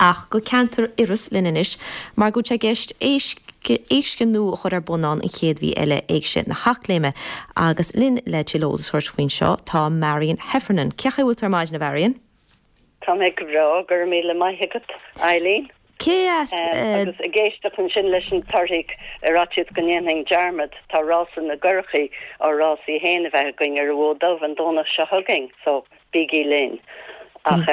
Ach go ceantar Iorrais linn anois mar go bhfuil sé i gceist éigse nua a chur ar bun ann an chéad mhí eile, Éigse na hEachléime. Agus linn le tuilleadh eolais a thabhairt faoin seo tá Marion Heffernan. Cén chaoi a bhfuil tú ar maidin a Mharion? Tá mé go breá, go raibh míle maith agat, Eileen. Cé as. Agus ag éisteacht ansin leis an torthaí ar fhaitíos go ndéanfainn dearmad, tá rása na gcurachaí, ár rásaí féin a bheith againn ar an Bhfód Dubh an Domhnach seo chugainn, so bígí linn. Ach.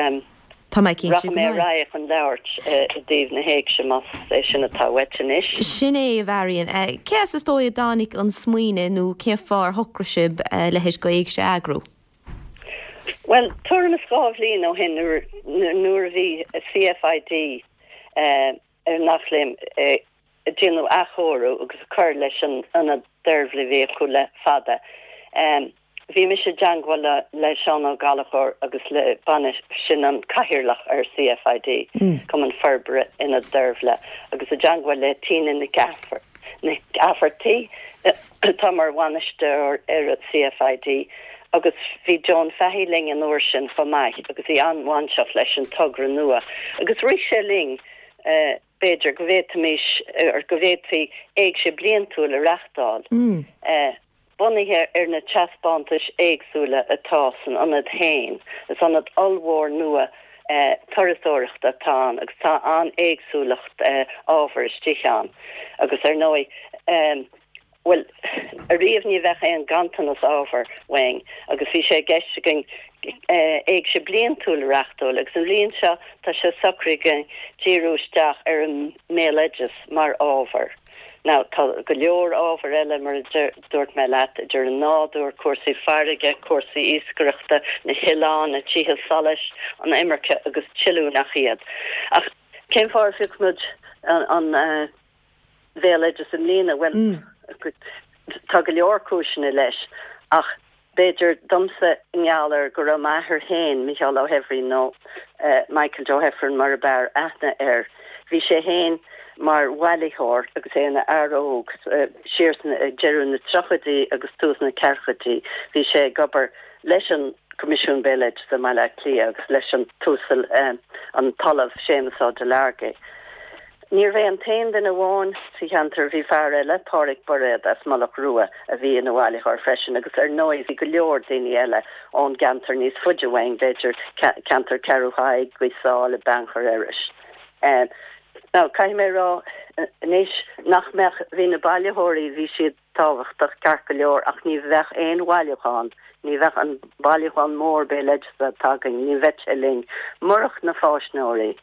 Tá mé cinnte go mbeidh. Rachaidh mé ar aghaidh chun labhairt i dtaobh na héigse más é sin atá uait anois. Sin é, a Mharion. Cé as is dóigh a dtáinig an smaoineamh nó cén fáth ar shocraigh sibh a leithéid d'éigse a eagrú? Bhuel, tuairim is 2 bhliain ó shin nuair a bhí CFID ar an Eachléim ag déanamh athchóiriú agus ag cur leis an ionad Deirbhile a bhí acu le fada. Bhí mise i dteangmháil le Seán Ó Gallchóir agus le baine, sin an cathaoirleach ar CFID, Cumann Forbartha Ionad Deirbhile, agus i dteangmháil le Tina Nic Eafartaigh atá mar bhainisteoir ar CFID agus bhí Joan Fahey linn an uair sin chomh maith agus í an-bhainteach leis an togra nua agus rith sé linn b'fhéidir go bhféadfaimis, or go bhféadfaí éigse bliantúil a reachtáil, bunaithe ar na taispeántais éagsúla atá san ionad féin. Is ionad ollmhór nua turasóireachta atá ann agus tá an-éagsúlacht ábhair istigh ann. Agus ar ndóigh, Bhuel, ariamh ní bheadh aon ganntanas ábhair uainn agus bhí sé i gceist againn éigse bliantúil a reachtáil agus an bhliain seo tá sé socraithe againn díriú isteach ar an mbéaloideas mar ábhar. Now, tá go leor ábhair eile, mar a dúirt mé leat, idir an nádúr, cúrsaí farraige, cúrsaí iascaireachta, na hoileáin, na tithe solais, an imirce agus tuilleadh nach iad. Ach cén fáth ar phioc muid an. bhéaloideas i mbliana? Bhuel, tá go leor cúiseanna leis, ach b'fhéidir domsa i ngeall ar go raibh m'athair féin, Mícheál Ó hEifrinn nó Michael Joe Heffernan mar a b'fhearr aithne air, bhí sé féin mar bhailitheoir agus é ina fhear óg siar sna, ag deireadh na tríochaidí agus tús na ceathrachaidí, bhí sé ag obair leis an Coimisiún Béaloideasa i mBaile Átha Cliath agus leis an tUasal, an tOllamh Séamus Ó Delargy. Níorbh é an t-aon duine amháin sa cheantar, bhí fear eile, Pádraig Bairéad as Mullach Rua, a bhí ina bhailitheoir freisin agus ar ndóigh bhí go leor daoine eile ón gceantar níos faide uainn, b'fhéidir, ceantar Cheathrú Thaidhg, Gaoth Sáile, Beannchar, Iorrais. Now, caithfidh mé a rá anois nach mbeadh, bhí na bailitheoirí, bhí siad tábhachtach ceart go leor ach ní bheadh aon bhailiúchán, ní bheadh an bailiúchán mór béaloideasa atá againn, ní bheadh sé linn murach na fáisneoirí.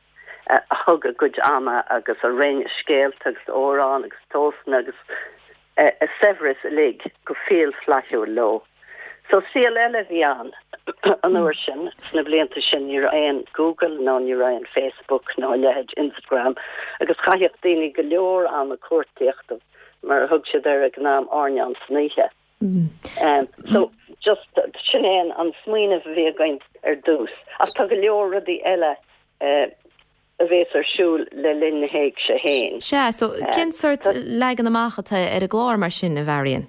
a thug a gcuid ama agus a roinn a scéalta agus amhráin agus tóstanna agus a saibhreas uilig go fial flaithiúil leo. So saol eile a bhí ann an uair sin, sna blianta sin ní raibh aon Google nó ní raibh aon Facebook nó a leithéid Instagram agus chaitheadh daoine go leor ama cuartaíocht mar a thug siad air ag an am airneán san oíche. So just sin é an smaoineamh a bhí againn ar dtús. Ach tá go leor rudaí eile a bhéas ar siúl le linn na héigse féin. Sea, so cén sort leagan amach atá ar an gclár mar sin, a Mharion?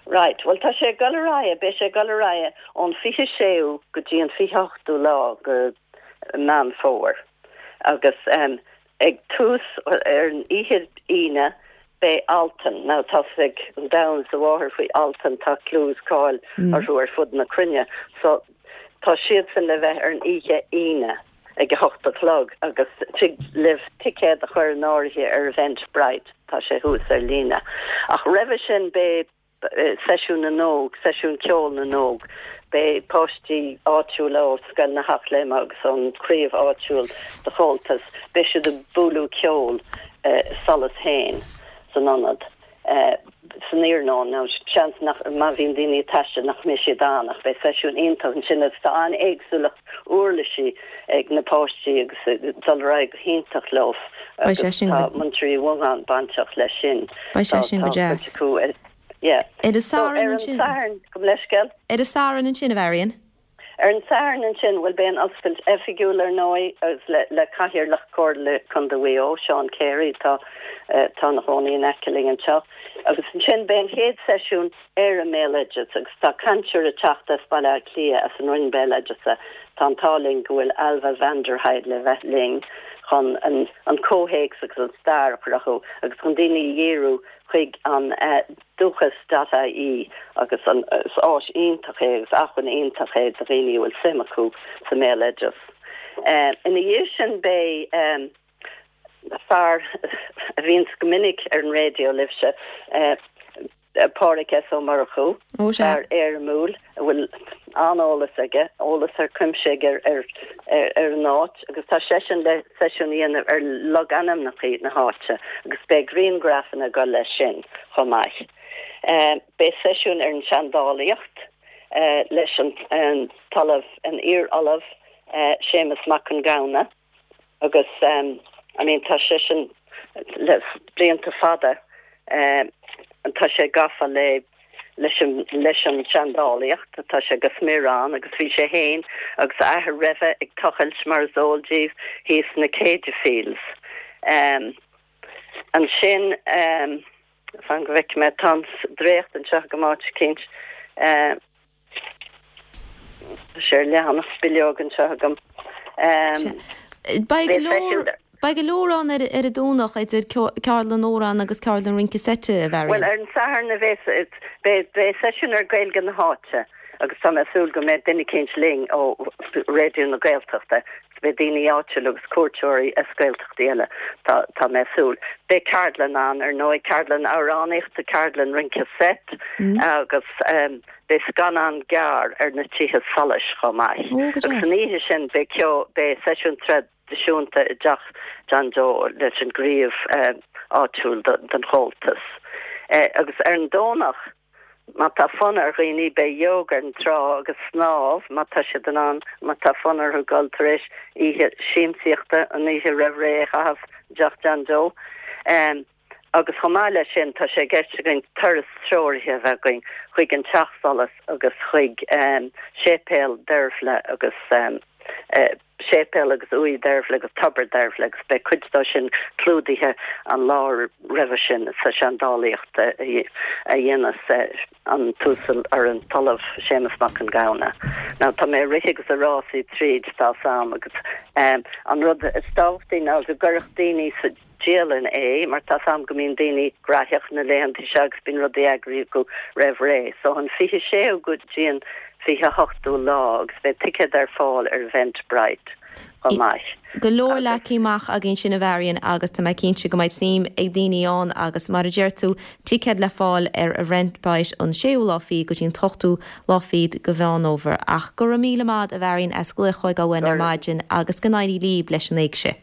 Right, bhuel tá sé ag dul ar aghaidh, beidh sé ag dul ar aghaidh ón 26ú go dtí an 28ú lá de Meán Fómhair agus ag tús ar an oíche Aoine beidh Altan, now tá 'fhios ag an domhan is a mháthair faoi Altan, tá clú is cáil orthu ar fud na cruinne, so tá siadsan le bheith ar an oíche Aoine ag a hocht a chlog agus tig libh ticéad a chur in áirithe ar Eventbrite, tá sé thuas ar líne. Ach roimhe sin beidh Seisiún na nÓg, Seisiún Ceoil na nÓg. Beidh páistí áitiúla ó Scoil na hEachléime agus ón chraobh áitiúil de Chomhaltas, beidh siad ag bualadh ceoil i Solas féin san ionad san iarnóin. Now seans nach, má bhíonn daoine ag taisteal nach mbeidh siad ann ach beidh seisiún iontach ansin agus tá an-éagsúlacht uirlisí ag na páistí agus dul ar aghaidh go hiontach leo Beidh sé agus sin tá go. Muintir Uí Mhongáin bainteach leis sin. Beidh sé Tá sin go tá cuid deas. acu ar yeah. Ar an So Satharn ar an ansin. Satharn, gabh mo leithscéal. Ar an Satharn ansin, a Mharion. Ar an Satharn ansin, bhuel beidh an oscailt oifigiúil ar ndóigh agus le le Cathaoirleach Comhairle Contae Mhaigh Eo, Seán Carey atá atá ina chónaí in aice linn anseo. Agus ansin beidh an chéad seisiún ar an mbéaloideas agus tá cainteoir ag teacht as Baile Átha Cliath as an Roinn Béaloideasa. Tá an t-ádh linn go bhfuil Ailbhe van der Heide le bheith linn. chun an comhthéacs agus an stair a chruthú agus chun daoine a dhíriú chuig an dúchas dot ie agus an is áis iontach é agus acmhainn iontach é do dhaoine a bhfuil suim acu sa mbéaloideas. Ina dhiaidh sin beidh fear a bhíonns go minic ar an raidió libhse, Pádraig S. Ó Murchú, fear éirimiúil a bhfuil an-eolas aige, eolas thar cuimse aige ar an áit agus tá seisean le seisiún a dhéanamh ar logainmneacha na háite agus beidh grianghrafanna ag dul leis sin chomh maith. Beidh seisiún ar an tseandálaíocht leis an tOllamh, an iar-Ollamh Séamus Mac Con Gabhann. Agus I mean tá seisean le blianta fada tá sé gafa le leis an leis an tseandálaíocht, tá sé go smior ann agus bhí sé féin agus a athair roimhe ag tochailt mar is eol díbh thíos sna Céide Fields. Ansin fan go bhfeicfidh mé tá an dréacht anseo agam áit eicínt. Tá sé ar leathanach bileog anseo agam. Beidh go leor, beidh go leor ann ar an Domhnach idir ceardlann amhrán agus ceardlann rince seite, a Mharion. Bhuel, ar an Satharn a bheas, beidh, beidh seisiún ar Gaeilge na háite agus tá mé ag súil go mbeidh duine eicínt linn ó Raidió na Gaeltachta agus beidh daoine áitiúla agus cuairteoirí as Gaeltachtaí eile, tá, tá mé ag súil. Beidh ceardlann ann, ar ndóigh, ceardlann amhránaíochta, ceardlann rince seit agus. Beidh scannán gearr ar na tithe solais chomh maith. Agus an oíche sin beidh ceol, beidh seisiún traidisiúnta i dTeach John Joe leis an gcraobh áitiúil den Chomhaltas. Agus ar an Domhnach, má tá fonn ar dhaoine, beidh yoga ar an trá agus snámh má tá siad in ann, má tá fonn orthu dul tar éis oíche siamsaíochta an oíche roimh ré a chaitheamh i dTeach John Joe. Agus chomh maith leis sin, tá sé i gceist againn turas treoraithe a bheith againn chuig an Teach Solais agus chuig Séipéal Deirbhle agus Séipéal agus Uaigh Deirbhle agus Tobar Deirbhle agus beidh cuid dó sin clúdaithe an lá roimhe sin sa seandálaíocht a dhéanas an tUasal or an tOllamh Séamus Mac Con Gabhann. Now tá mé ag rith agus ag rásaí tríd tá 's a'm agus an rud is tábhachtaí ná go gcuirfeadh daoine sa dialann é, mar tá 's a'm go mbíonn daoine graitheach na laethanta seo agus bíonn rudaí eagraithe acu roimh ré. So an 26ú go dtí an 28ú lá agus beidh ticéad ar fáil ar Eventbrite chomh maith. Go leor leagtha amach againn ansin a Mharion agus tá mé cinnte go mbeidh suim ag daoine ann agus mar a deir tú, ticéad le fáil ar Eventbrite an séú lá fichead go dtí an t-ochtú lá fichead de Mheán Fhómhair. Ach go raibh míle maith a Mharion as glaoch a thógáil uainn ar maidin agus go n-éirí libh leis an éigse.